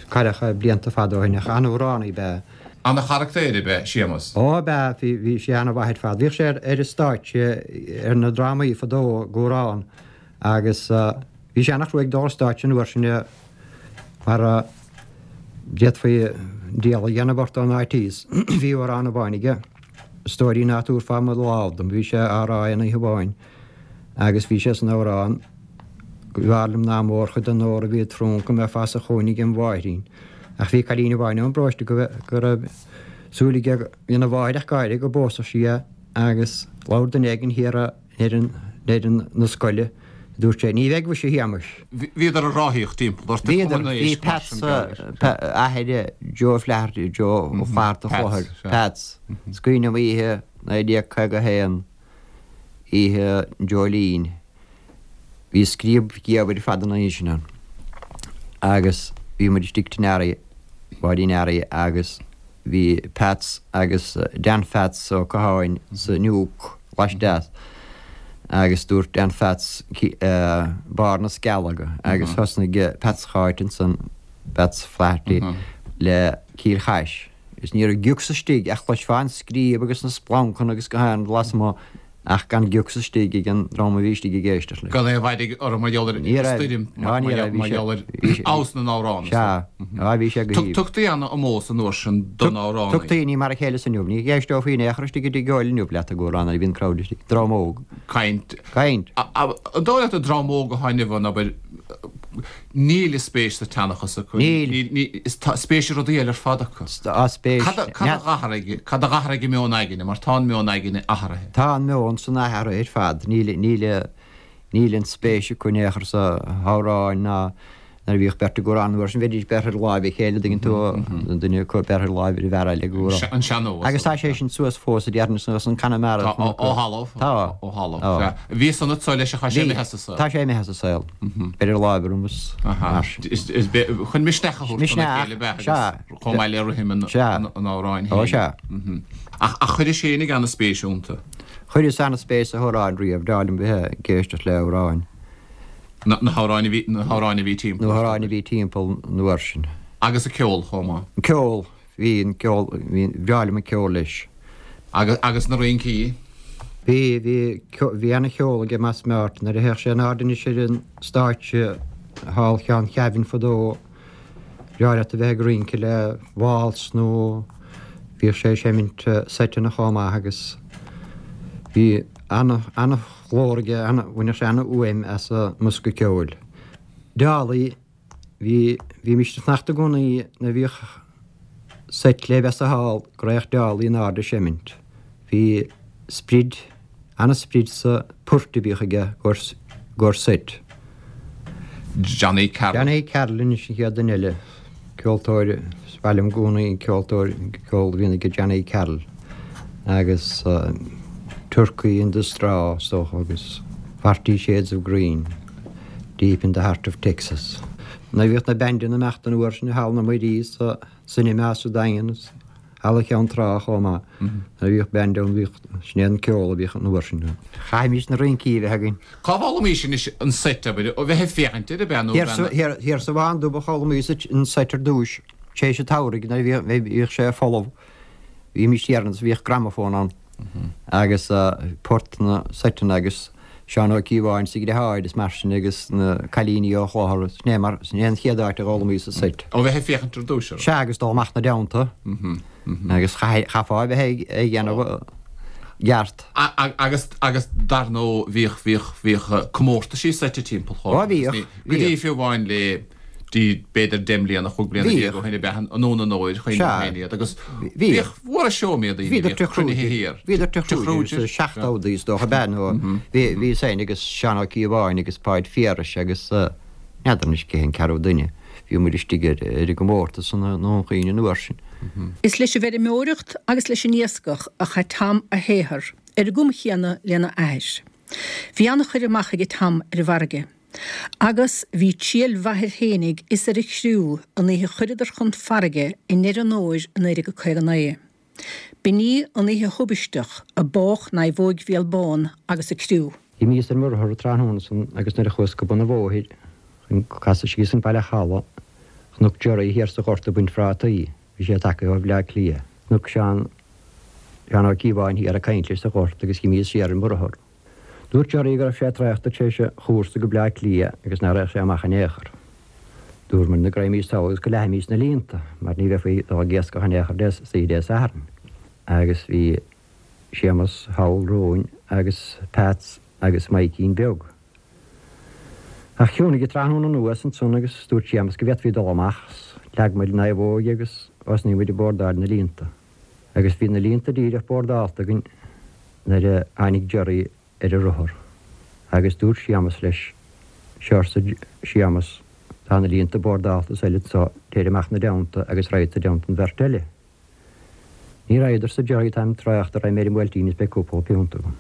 cailleadh é blianta fada ó shin ach an-amhránaí ab ea. Ana-charactaer ab ea Séamus? Ó, ab ea, bhí, bhí sé ana-mhaith ar fad. Bhíodh sé ar an stáitse ar na drámaí fadó ag amhrán agus bhí sé ana-chruaidh ag dul ar stáitse an uair sin mar a D'fhéadfaí diabhal a dhéanamh ort ón áit thíos. Bhí amhrán amháin aige, A stóirín ná tabharfá mo lámh dom, bhí sé á rá aon oíche amháin agus bhí sé san amhrán, B'fhearr liom ná mórchuid den ór a bhí i dtrunc go mbeifeá sa chúinne agem mháithrín. Ach bhí cailín amháin ón bparóiste go raibh súil aige, bhí ina mháthair ag gáire go bpósfadh sí é agus labhair duine éigin thiar a fhoireann na scoile, dúirt sé, ní bheidh mhuise a Shéamais. Bhíodar ag ráthaíocht timpeall ort ag Cumann na Bhíodar, bhí Peats, athair Joe Flaherty, Joe Ó Flatharta Chlochair, Peats, is cuimhin liom oíche 1951, oíche an Dreoilín, bhí scríob gheimhridh ar fad an oíche sin ann agus bhí muid istigh tigh Nearaí, Pháidín Nearaí agus Bhí Peats agus Dan Pheats Ó Catháin sa Nuke laisteas agus dúirt Dan Pheats Barr na Scealga agus thosnaigh Peats Cháit ansan, Peats Flaherty, le Cill Chais. Is ní raibh giocs istigh ach chloisfeá an scríob agus na splancanna agus gach aon rud lasmuigh Ach gan giocs istigh ag an dream a bhí istigh ag éisteacht leis. Gan aon mhairg orthu mar gheall ar an stoirm, mar gheall ar fheabhas na n-amhrán. Sea, á bhí sé go haoibhinn. Tugtaí an-ómós an uair sin don amhránaí. Tugtaí, ní mar a chéile is inniu. Ní éisteofaí in aon chor istigh i dtigh óil inniu leat ag amhrán nuair a bhíonn crowd istigh. Dream óg. Caint. Caint. An dóigh leat an dream óg atá inniu ann, abair, Níl a spéis sa tseanchas acu. Níl. Tá spéis i rudaí eile ar fad acu. Tá spéis. Cad a dh'athraigh, cad a dh'athraigh an meon aigne, mar tá an meon aigne athraithe. Tá an meon san athraithe ar fad. Níl, níl, níl an spéis acu in aon chor sna hamhráin ná nuair a bhíodh beirt ag amhrán an uair sin bheidís beirthe ar láimh a chéile, dtuigeann tú, an duine acu beirthe ar láimh ar an bhfear eile ag amhrán. An sean-nós. Agus tá sé sin suas fós a déarfainn suas an Conamara. Tá, ó thalamh. Tá. Ó thalamh. Sea. Bhí san anso leis ach tá sé imithe as an saol. Tá sé imithe as an saol. Beir ar láimh orm is mar sin. Chun misneach a thabhairt dona chéile beatha agus chomh maith le rithim an amhráin féin. Ó sea. Ach chuiris féinig ana-spéis iontu. Chuireas ana-spéis sna hamhráin riamh, b'fhearr liom bheith ag éisteacht le hamhráin. Na hamhráin a bhí, na hamhráin a bhí timpeall. Na hamhráin a bhí timpeall an uair sin. Agus an ceol chomh maith. An ceol. Bhí an ceol, bhí, bhreá liom an ceol leis. Agus, agus na rincí? Bhí, bhí, bhí ana-cheol aige Mas Meáirt. Nuair a théadh sé in airde anois ar an stáitse thall Cheann Chaimhin fadó, bhreá leat a bheith ag rince le waltz nó bhíodh sé ag seimint seiteanna chomh maith agus bhí ana, ana-ghlór aige, ana, bhaineadh sé ana-fhuaim as an mbosca ceoil. Dálaí. Bhí, bhímist ag fanacht i gcónaí nuair a bhíodh seit le bheith sa hall go raghadh Dálaí in airde ag seimint. Bhí sprid, ana-sprid sa port a bhíodh aige gcomhair seit. Johnny Carroll. Johnny Carroll anois an chéad duine eile, ceoltóir, is maith liom i gcónaí an ceoltóir, ceol a bhíonn aige Johnny Carroll agus Turkey in the Straw is dócha agus Forty Shades of Green. Deep in the Heart of Texas. Nuair a bhíodh na bandanna ag imeacht an uair sin i Halla na Muirí sa Cinema sa Daingean is Halla Cheann Trá chomh maith. Nuair a bhíodh band ann bhíodh, sin é an ceol a bhíodh an uair sin. Chaithimís na rincí a bheith againn. Cá bhfoghlaimís anois an seit, abair, ó bheith ag féachaint air, ab ea, nó ab ea? Thiar sa Bhán Dubh a d'fhoghlaimíos an seit ar dtúis, tar éis an tsamhraidh nuair a bhíodh sé folamh. Bhímís thiar agus bhíodh gramafón ann agus port na seiteanna agus Seán Ó Cíobháin is a dheartháir is mar sin agus na cailíní ó Chlochar. Sin é mar, sin é an chéad áit a d'fhoghlaimíos an seit. Ó bheith ag féachaint ar dtúis orthu. Sea agus dul amach 'na dteannta agus chaithfeá a bheith ag déanamh i gceart. Agus, agus dar ndóigh bhíodh, bhíodh, bhíodh comórtaisí seite timpeall chomh maith. Ó bhíodh, bhíodh. Go dtí fiú amháin le. dtí b'fhéidir 10 mbliana, 15 bliana ó shin ab ea anonn an fhómhair, chuimhnigh féin iad agus bhíodh, mhór an seó iad daoine, bhíodh cruinnithe thiar. Bhíodar Tigh Kruger sa seachtóidí is dócha ab ea nó bhí bhíos féin agus Seán Ó Cíobháin agus Páid Phiarais agus n'fheadar anois cé an ceathrú duine, bhí muid istigh ar ar an gcomórtas i nDún Chaoin an uair sin. Is leis an bhfeirmeoireacht agus leis an iascach a chaith Tom a shaothar, ar an gcuma chéanna lena athair. Bhí an-chur amach aige Tom ar an bhfarraige. Agus bhí triail mhaith air fhéinig is ar a chriú an oíche a chuireadar chun farraige i ndeireadh an fhómhair i 1959. B'in í an oíche thubaisteach a bádh Naomhóig Bhéal Bán agus a criú. D'imíos ar mo rothar an tráthnóna san agus nuair a chuas go bun an bhóthair chun casadh síos an Baile Chalaidh, chonac Jerry thiar sa ghort ag baint phrátaí. Bhí sé tagtha ó Bhleá Cliath. Chonac Seán, Seán Ó Cíobháin thiar ag caint leis sa ghort agus dh'imíos siar ar mo rothar. Dúirt Jerry go raibh sé traochta tar éis a chúrsa go Bleá Cliath agus nach raghadh sé amach in aon chor. Dúramar go raghaimís thall agus go leathfaimís na líonta mar ní bheifí ag dul ag iascach in aon chor Dé oíche Dé Sathairn. Agus bhí Séamus thall romhainn agus Peats agus Maidhcín Beag. Ach chiúnaigh an tráthnóna anuas ansan agus dúirt Séamus go bhféadfaí dul amach. Leag muid an naomhóig agus thosnaigh muid ag bordáil na líonta. Agus bhí na líonta díreach bordálta againn nuair a tháinig Jerry ar a rothar. Agus dúirt Séamus leis, Seo arsa Séamus, tá na líonta bordálta is eile anso, téir amach 'na dteannta agus raghadsa i dteannta an bheirt eile. Ní raghad arsa Jerry, táim traochta, raghaidh mé ar an mBuailtín is beidh cúpla piúnt agam.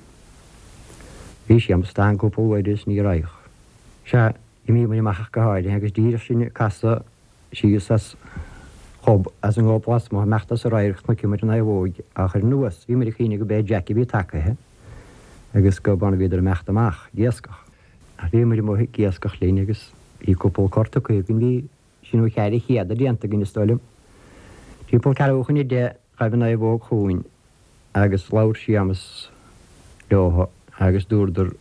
Bhí Séamus tang cúpla uair is ní raghadh. Sea, d'imigh muid amach ach go háirithe agus díreach sinn ag casadh síos as gob, as an ngob lasmuigh, imeacht as an radharc, chonaic muid an naomhóig á chur anuas. Bhí muid ag cuimhneamh go b'é Jack a bhí tagaithe agus go b'ann a bhíodar imeacht amach ag iascach. Ach bhí muid amuigh ag iascach linn agus bhí cúpla cor tugtha againn, bhí trí nó 400 déanta againn is dóigh liom. Timpeall ceathrú chun 10 ghaibh an naomhóg chugainn agus labhair Séamus leotha agus dúradar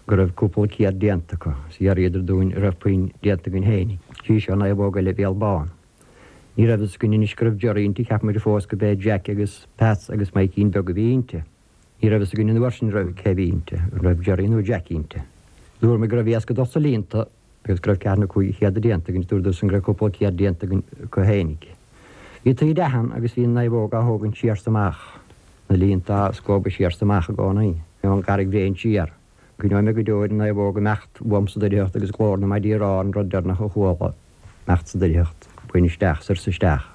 go raibh cúpla céad déanta acu is d'fhiafraíodar dúinn an raibh puinn déanta againn féinig. Sí seo naomhóg eile Bhéal Bán. Ní raibh fhios againn anois go raibh Jerry inti, cheap muid fós go b'é Jack agus Peats agus Maidhcín Beag a bhí inti. Ní raibh fhios againn an uair sin raibh cé bhí inti, an raibh Jerry nó Jack inti. Dúramar go raibh iasc ag dul sa líonta agus go raibh ceathrú nó 500 déanta againn, dúradar san go raibh cúpla céad déanta againn acu fhéinig. Bhí taoide ann agus bhí an naomhóg á thógaint siar 's amach, na líonta á scuabadh siar 's amach i gcónaí, ón gCarraig Bhréin siar. Cuimhneoidh mé go deo ar an naomhóg imeacht uaim sa doircheacht agus glór na maidí ag rá an rud deireanach a chuala imeacht sa doircheacht, bain isteach, soir 's isteach.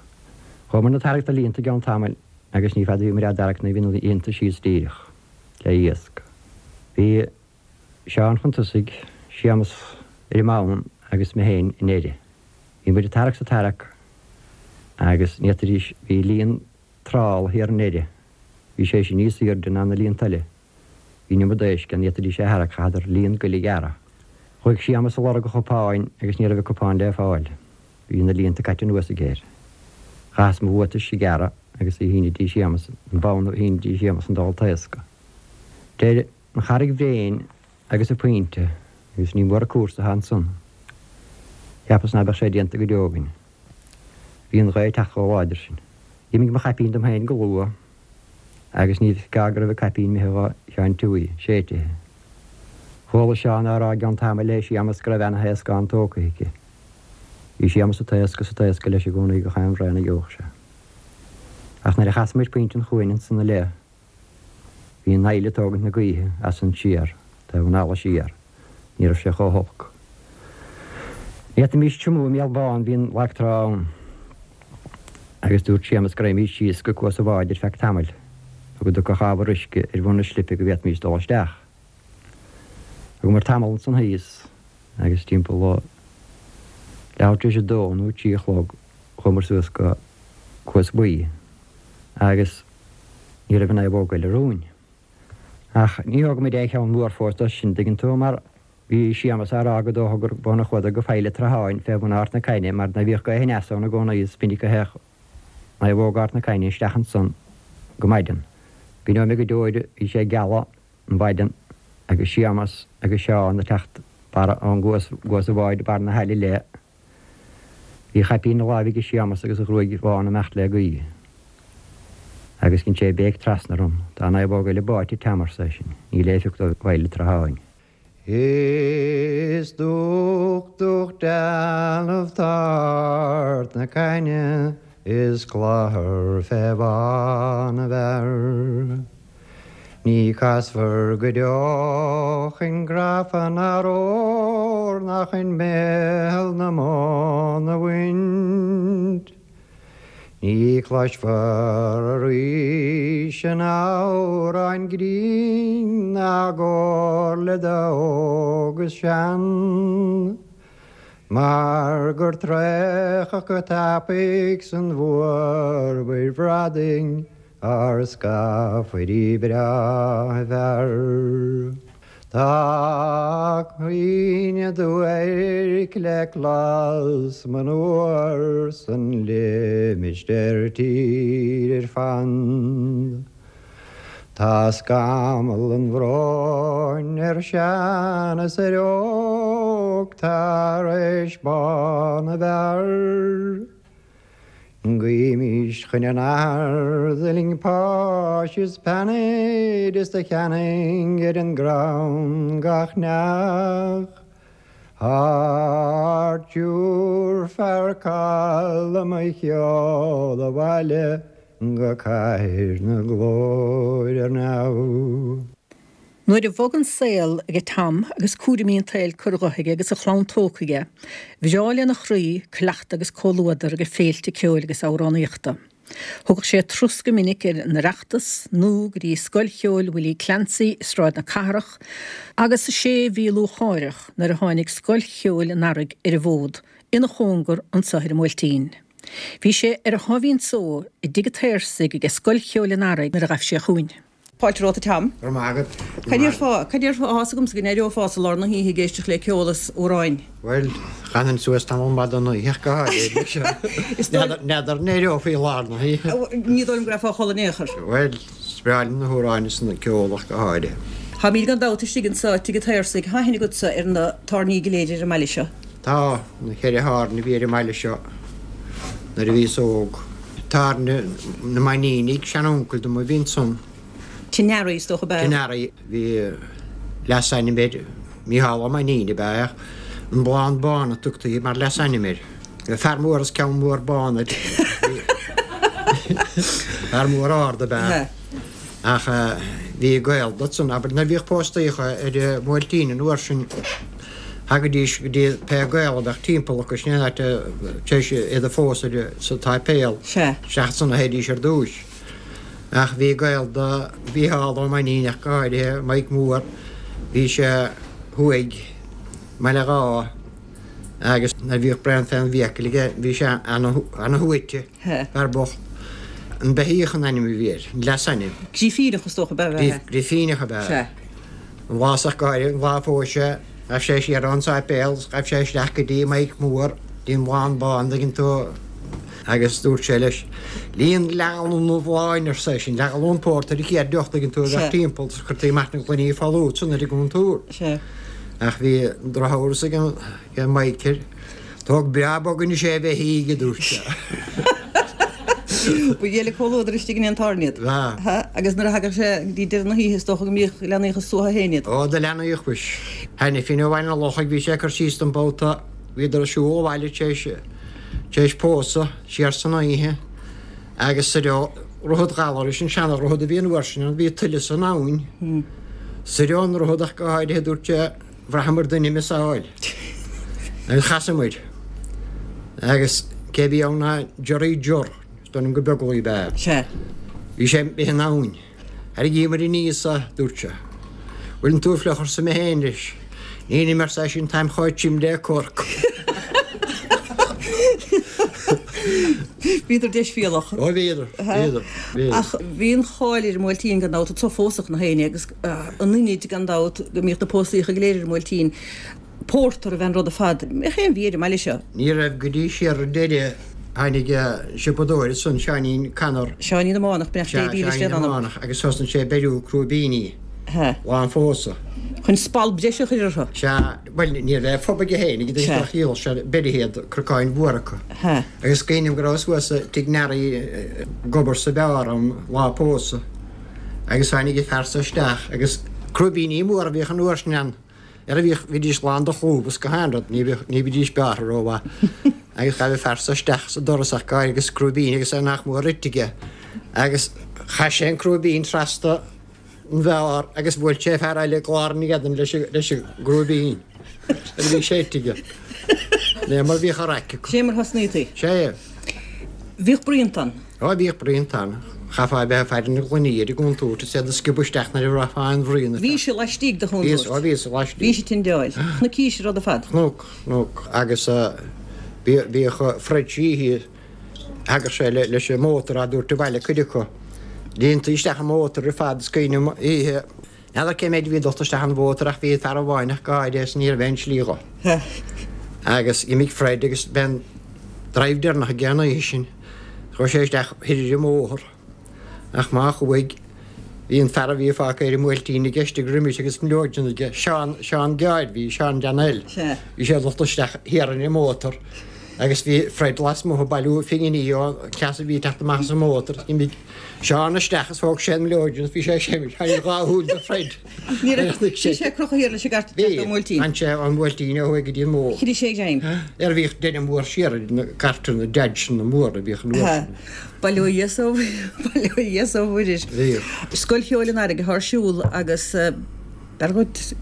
Chuamar ag tarrac na líonta i gceann tamaill agus ní fada a bhí muid á dtarrac nó bhí na líonta síos díreach le iasc. Bhí Seán chun tosaigh, Séamus ar an mbonn agus mé féin i ndeireadh. Bhí muid ag tarrac 's ag tarrac agus ní fhéadfaidís, bhí líon trál thiar i ndeireadh, bhí sé sin níos aoirde ná na líonta eile. Bhí an iomad éisc ann, ní fhéadfaidís é a tharrac, chaitheadar líon goil a ghearradh. Chuaigh Séamus ag lorg a chupáin agus ní raibh a cupán le fáil. Bhí na líonta caite anuas aige air. Chaitheas mo bhuatais a ghearradh agus a shíneadh dtí Séamus, an bonn a shíneadh dtí Séamus an dál taoscadh. Deir an Charraig Bhréin agus an Pointe agus ní mór an cúrsa atá ansan. Cheapas ná beadh sé déanta go deo againn. Bhí an ghaoth ag teacht chomh láidir sin. D'imigh mo chaipín dom féin go luath agus ní gá go raibh an caipín imithe dhá Sheáin Tuaí, séidtithe. Chuala Seán á rá i gceann tamaill le Séamas go raibh ana-thaoscán tógtha aici. Bhí Séamas ag taoscadh is ag taoscadh leis i gcónaí gach aon bhraon a gheobhadh sé. Ach nuair a chas muid pointe an chuain ansan i leith, Bhí an fhaill ag tógaint na gaoithe as san siar, taobh an fhalla siar. Ní raibh sé chomh holc. Ní fhéadfaimís triomú i mBéal Bán, bhí an lag trá ann. Agus dúirt Séamus go raghaimís síos go Cuas an Bháid ar feadh tamaill, nó go dtiocfadh ábhar uisce ar bhun an slipe go bhféadfaimís dul isteach. Thugamar tamall ansan thíos, agus timpeall leathuair tar éis a dó nó a trí a chlog chuamar suas go Cuas Buí, agus. Ní raibh an naomhóg eile romhainn. Ach ní thóg muid aon cheann mór fós dó sin, dtuigeann tú, mar bhí Séamus á rá go dócha gur b'ann a chuadar go Faill an tSratháin fé bhun Ard na Caithne mar ná bhíodh gaoth aneas ann i gcónaí is minic a théadh naomhóg Ard na Caithne isteach ansan go maidean. Cuimhneoidh mé go deo air, bhí sé ag gealadh an mhaidean agus Séamus agus Seán ag teacht barra ón gcuas, gcuas an bháid barr na haille léith. Bhí a chaipín ina láimh aige Séamas agus a ghruaig bhán imeacht le gaoith. Agus dhein sé béic trasna orm, Tá naomhóg eile báite, Tom, arsa eisean. Níl aon phioc dóibh i bhFaill an tSratháin. Is dubhach dubhach dealbh tart na caithne is cladhar fé bhá na bhfear. Ní casfar go deo chun grafa ná ór ná chun béal na mbonn a bhaint. Ní chloisfear arís an amhrán grinn ná a gcomhairle d'óg is sean, mar gur traochadh go tapaidh san bhfuarmhuir bhradaigh Ár scafairí breátha fear. Tá cuimhne duairc le clos monuar san limistéar tíre ar fad. Tá scamall an bhróin ar shean is ar óg tar éis bá na bhfear. Guímis chun an Athar d'fhuiling páis is peannaid is do cheannaigh ar an gcrann gach neach. Thar tabharfar calma a cheol abhaile go cathair na glóire ar neamh. Nuair a bhog an saol aige Tom agus cúraimí an tsaoil curtha dhe aige agus a chlann tógtha aige, bhreá lena chroí cleachtadh agus comhluadar aige féilte ceoil agus amhránaíochta. Thugadh sé turas go minic ar an Oireachtas nó go dtí Scoil Cheoil Willie Clancy i Sráid na Cathrach agus is é a bhí lúcháireach nuair a tháinig Scoil Cheoil an Earraigh ar an bhfód ina chóngar anso ar an mBuailtín. Bhí sé ar a sháimhín só i dTigh an tSaorsaigh aige Scoil Cheoil an Earraigh nuair a ghaibh sé chugainn. Fáilte romhat a Tom. Go raibh maith agat. Cad déarfá, cad déarfá, tá a fhios agamsa go n-éireofá sa lár na hoíche ag éisteacht le ceol is amhráin. Bhuel, d'fhanfainn suas tamall maith den oíche ach go háirithe. N'fheadar an éireofaí i lár na hoíche. Ní dóigh liom go raghfá a chodladh in aon chor. Bhuel, is breá liom na hamhráin is an ceol ach go háirithe. Táimid gan dabht istigh anso i dTigh an tSaorsaigh. Tá aithne agatsa ar na tábhairní go léir ar an mbaile seo. Tá, na cheithre thábhairne a bhí ar an mbaile seo nuair a bhíos óg. Tábhairne na Mainnínigh, sean-uncail dom a bhí ansan. Tigh Nearaí, is dócha, ab ea? Tigh Nearaí. Bhí leasainm air, Mícheál Ó Mainnín ab ea, ach an Blán Bán a tugtaí mar leasainm air. Fear mór is ceann mór bán air. Fear mór ard ab ea. Ach bhí gaol dó san, abair, nuair a bhíodh póstaíocha ar an mBuailtín an uair sin, thagaidís go dtí pé gaol a bheadh timpeall acu, sin é an áit a, tar éis iad a phósadh sa tsáipéal, isteach ansan a théidís ar dtúis. Ach bhí gaol do Mhícheál Ó Mainnín ach go háirithe, Maidhc Mór, bhí sé thuaidh i mBaile Dháith agus nuair a bhíodh braon fén bhfiacail aige, bhí sé ana-shuaite. Fear bocht. An Beithíoch an ainm a bhí air, an leasainm. Grifíneach is dócha ab ea é. Grifíneach ab ea é. Sea. An lá ach go háirithe, an lá a phós sé, ghaibh sé siar ón sáipéal is ghaibh sé isteach go dtí Maidhc Mór, dtí an Bhlán Bán, dtuigeann tú, agus dúirt sé leis, Líon leathghallún an bhláin, arsa eisean, leathghallún pórtair an chéad deoch, dtuigeann tú, a bheadh timpeall, is chuirtí amach na gloiní folamh ansan ar an gcúntúr. Sea. Ach bhí drochamhras ag an. Maidhc air. Tóg breá bog anois é a bheithígh, a dúirt sé. Ba ghile comhluadar istigh in aon tábhairne iad. Ba. Agus nuair a thagadh sé go dtí deireadh na hoíche is dócha go mbíodh, leanaíodh a suaitheadh féin iad. Ó, do leanaíodh mhuis. Hainifín ó Bhaile an Lochaigh, bhí sé ag cur síos dom babhta, bhíodar ag siúl abhaile tar éis, tar éis pósadh, siar san oíche agus sa reo, Droichead Ghallarais, an seana-dhroichead a bhí an uair sin ann, bhí tuile san abhainn. Sa reo an droichead ach go háirithe, dúirt sé, Bhraitheamar duine ag miosáil agus chasamair agus cé bhí ann ná Jerry Jur, is dóigh liom gur Beaglaoich ab ea. Sea. Bhí sé imithe in abhainn. Tharraingíomair aníos é, dúirt sé. Bhfuileann tú fliuch arsa mé féin leis. Nílim arsa eisean, táim chomh tirim le corc. Bhíodar deisbhéalach. Ó bhíodar, bhíodar, bhíodar. Ach bhí an cháil ar an mBuailtín gan dabht, anso phósfadh nach éinne agus an Inid gan dabht, go mbíodh na póstaíocha go léir ar an mBuailtín. Pórtar a bhí an rud ar fad. Mbeadh aon bhia ar an mbaile seo? Ní raibh go dtí siar ar deireadh. Tháinig siopadóir ansan, Seáinín Connor. Seáinín na Mánach, beannacht Dé Sea, dílis Seáinín lena na anam. Mánach, agus thosnaigh sé ag beiriú crúibíní lá an phósadh. Chun spal breise a chur orthu. Sea, bhuel, ní raibh fob aige féin, ag Sea. ach dhíol sé beirithe iad, crocáin mhóra acu. Sea. Agus cuimhním go rabhas thuas i dtigh Nearaí ag obair sa bheár an lá pósadh. Agus tháinig an fear so isteach agus crúibíní móra a bhíodh an uair sin ann. Ara bhíodh, bhídís lán de chlúmh is gach aon rud, ní bhíodh, ní bhídís bearrtha rómhaith. Agus ghabh an fear so isteach sa doras ach go háirithe agus crúibín agus é nach mór ite aige. Agus chaith sé an crúibín trasna an bheár agus bhuail sé fear eile i gclár an éadain leis an, leis an gcrúibín. Nuair a bhí sé ite aige. Né mar bhíodh a raic acu. Sé mar thosnaítaí. Sé. Bhíodh bruíonta ann. Ó bhíodh bruíonta ann. Chaithfeá a bheith ag faire na gloiní ar an gcontúirt is iad a sciobadh isteach nuair a bhraithfeá aon bhruíon. Bhí sé laistigh de chontúirt. Bhí, ó bhí sé laistigh. Bhí sé tindeáil. Chnoicís an rud ar fad. Chnoc, chnoc. Agus bhíodh Fred Sheehy, thagadh sé leis an mótar á dtabhairt abhaile cuid acu. Líontaí isteach an mótar ar fad is cuimhin liom oíche, N'fheadar cé méid a bhí dulta isteach an mhótar ach bhí fear amháin ach go háirithe is ní raibh aon slí dho. Agus d'imigh Fred agus b'é an drive deireanach aige an oíche sin. Chuaigh sé isteach thoir ar an mbóthar. Ach má chuaigh, bhí an fear a bhí fágtha ar an mBuailtín aige istigh roimis agus mileoidean aige, Seán, Seán Geáir, bhí Seán Dan L. Bhí sé dulta isteach thiar ar an mótar agus bhí Fred lasmuigh ag bailiú phinginí ón cleas a bhí ag teacht amach as an mótar. D'imigh Seán isteach is thóg sé an mileoidean is bhí sé ag seimint tháinig dhá shúil de Fred. Ní raibh, bhí sé ag crochadh thiar leis an gcairt Bhí, ón mBuailtín. D'fhan sé ón mBuailtín ó thuaidh go dtí an mbóthar. Chroith sé a ghreim. Ar bhíodh duine mór siar ar na cairteanna Dodgeanna móra a bhíodh an uair sin. Bail ó Dhia 's ó, bail ó Dhia 's ó Mhuire. Bhíodh. Scoil Cheoil an Earraigh atá ar siúl agus b'fhearr dhuit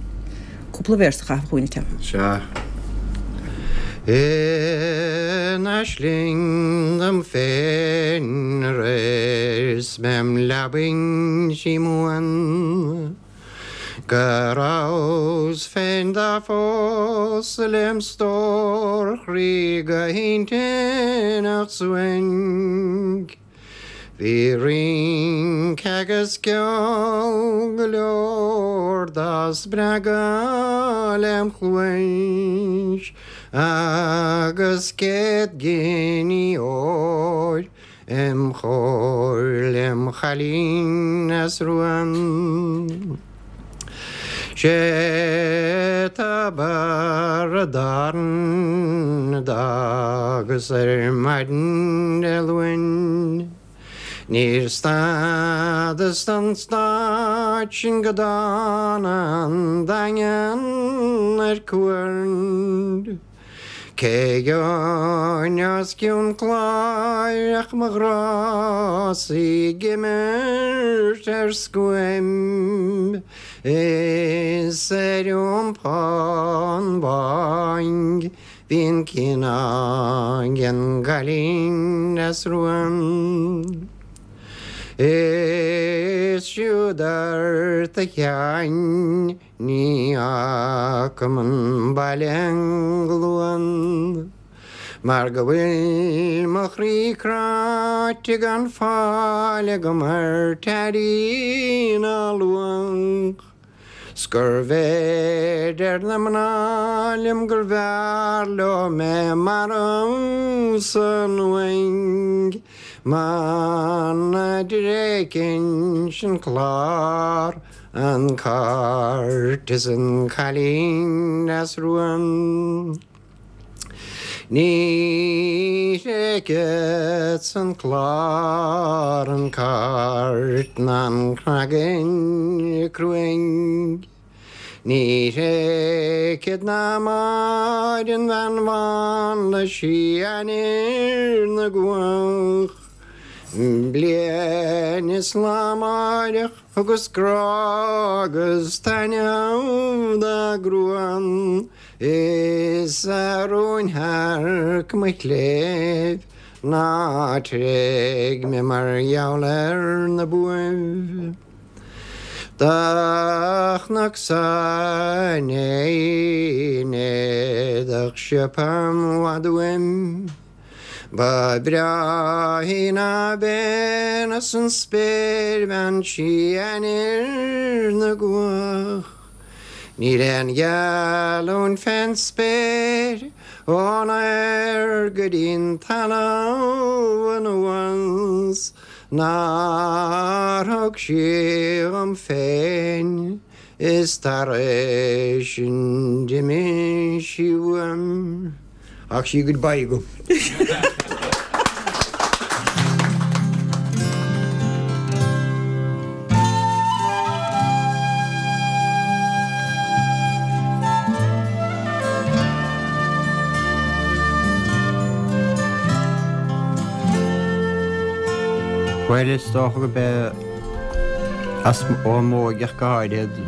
cúpla véarsa a chaitheamh chugainn, a Tom. Sea. In aisling dom féin aréir 's mé im leabaidh díomhaoin Go rabhas féin dá phósadh lem stór chroí go hintinneach suain. Bhí rince agus ceol go leor dá spreagadh lem chluais agus 100 giní óir im chomhair lem chailín deasrua. Sé tobar a dTarann a d'fhágas ar maidin Dé Luain. Níor stadas don stát sin go dtána an Daingean ar cuaird. Cé gheobhainn os cionn cláir ach mo ghrá 's í ag imirt ar scuaim is ar iompá an bháin bhí an cineál den gcailín deasrua. Is siúd ort a Sheáin Ní fhágfaidh an baile an gluain Mar go bhfuil mo chroí cráite gan fáil agam ar Teaidín á luach 'S gurbh é deir na mná liom gurbh fhearr leo mé marbh san uaigh Muna dtréigfinnse an clár An cairt is an cailín deasrua. Ní thréigfeadsa an clár, an cairt ná an cnagan cruain. Ní thréigfead ná Máire an bhean bhán le sí ainnir na gcuach. Bliain is lá amáireach Thugas grá agus taitneamh dá gruaim is a rúnshearc mo chléibh ná tréig mé mar gheall ar na buaibh. Do chonac-sa inné í in éadach siopa i bhfad uaim. Ba bhreá í ná bean as an spéir bean sí ainnir na gcuach. Níl aon gheallúint fén spéir ón aer go dtí'n talamh anuas nár thug sí dhom féin is tar éis sin d'imigh sí uaim. Ach sí goodbye agam. Bhuel, is dócha gurb é as ón m'óige ach go háirithe,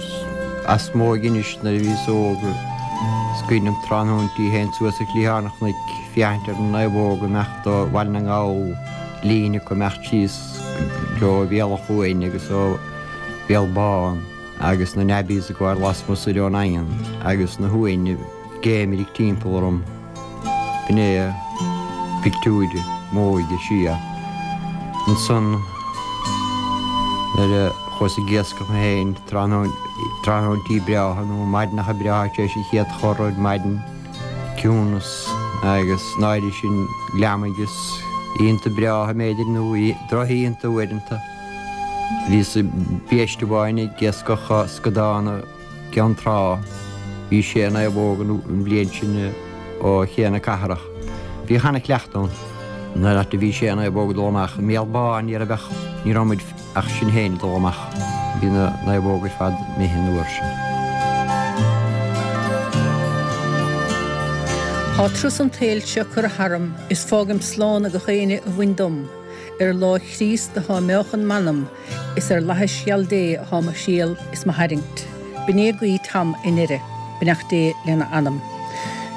as m'óige anois nuair a bhíos óg, is cuimhin liom tráthnóintí théinn suas ar chliathán an chnoic féachaint ar na naomhóga imeacht ó Bhaile na nGall, líne acu imeacht síos go dtí Béal an Chuain agus ó Bhéal Bán agus na nabbies ag gabháil lasmuigh soir ón nDaingean agus na huain ag géimireadh timpeall orm. B'in é pictiúir m'óige siar. Ansan nuair a chuas ag iascach mé féin tráthnóintí breátha nó maidineacha breátha tar éis an chéad chor ar maidin, ciúnas agus náire sin glamaigh is oícheanta breátha b'fhéidir nó drochoícheanta uaireanta. Bhíos i bpéist amháin ag iascach scadán i gCeann Trá. Bhí sé naomhóg an bhliain sin ó Ché na Cathrach. Bhí ana-chleachtadh ann. Nuair a bhí sé naomhóg ag dul amach i mBéal Bán ní raibh ach, ní raibh muid ach sinn féin ag dul amach. Bhí na naomhóga ar fad imithe an uair sin. Tá turas an tsaoil seo curtha tharam is fágaim slán ag gach éinne a bhain dom. Ar láimh Chríost atá meáchan m'anam Is ar fhlaithis gheal Dé athá mo thriall is mo tharraingt. B'in é guí Tom i nDoire, beannacht Dé lena anam.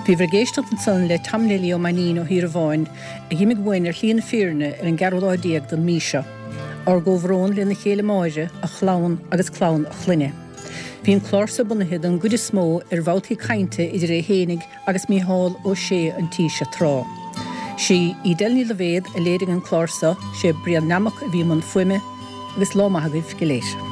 Bhíobhair ag éisteacht ansan le Tom Neilí Ó Mainnín ó Thír Amháin, a dh'imigh uainn ar shlí na fírinne ar an gceathrú lá den mí seo. Ár gcomhbhrón lena chéile Máire, a chlann agus clann a chlainne. Bhí an clár so bunaithe don gcuid is mó ar bhabhtaí cainte idir é fhéinig agus Mícheál Ó Sé an tí seo tráth. Sí Edel Ní Loibhéad a léirigh an clár so, sé Brian Nammock a bhí i mbun fuaime, agus lá maith agaibh go léir.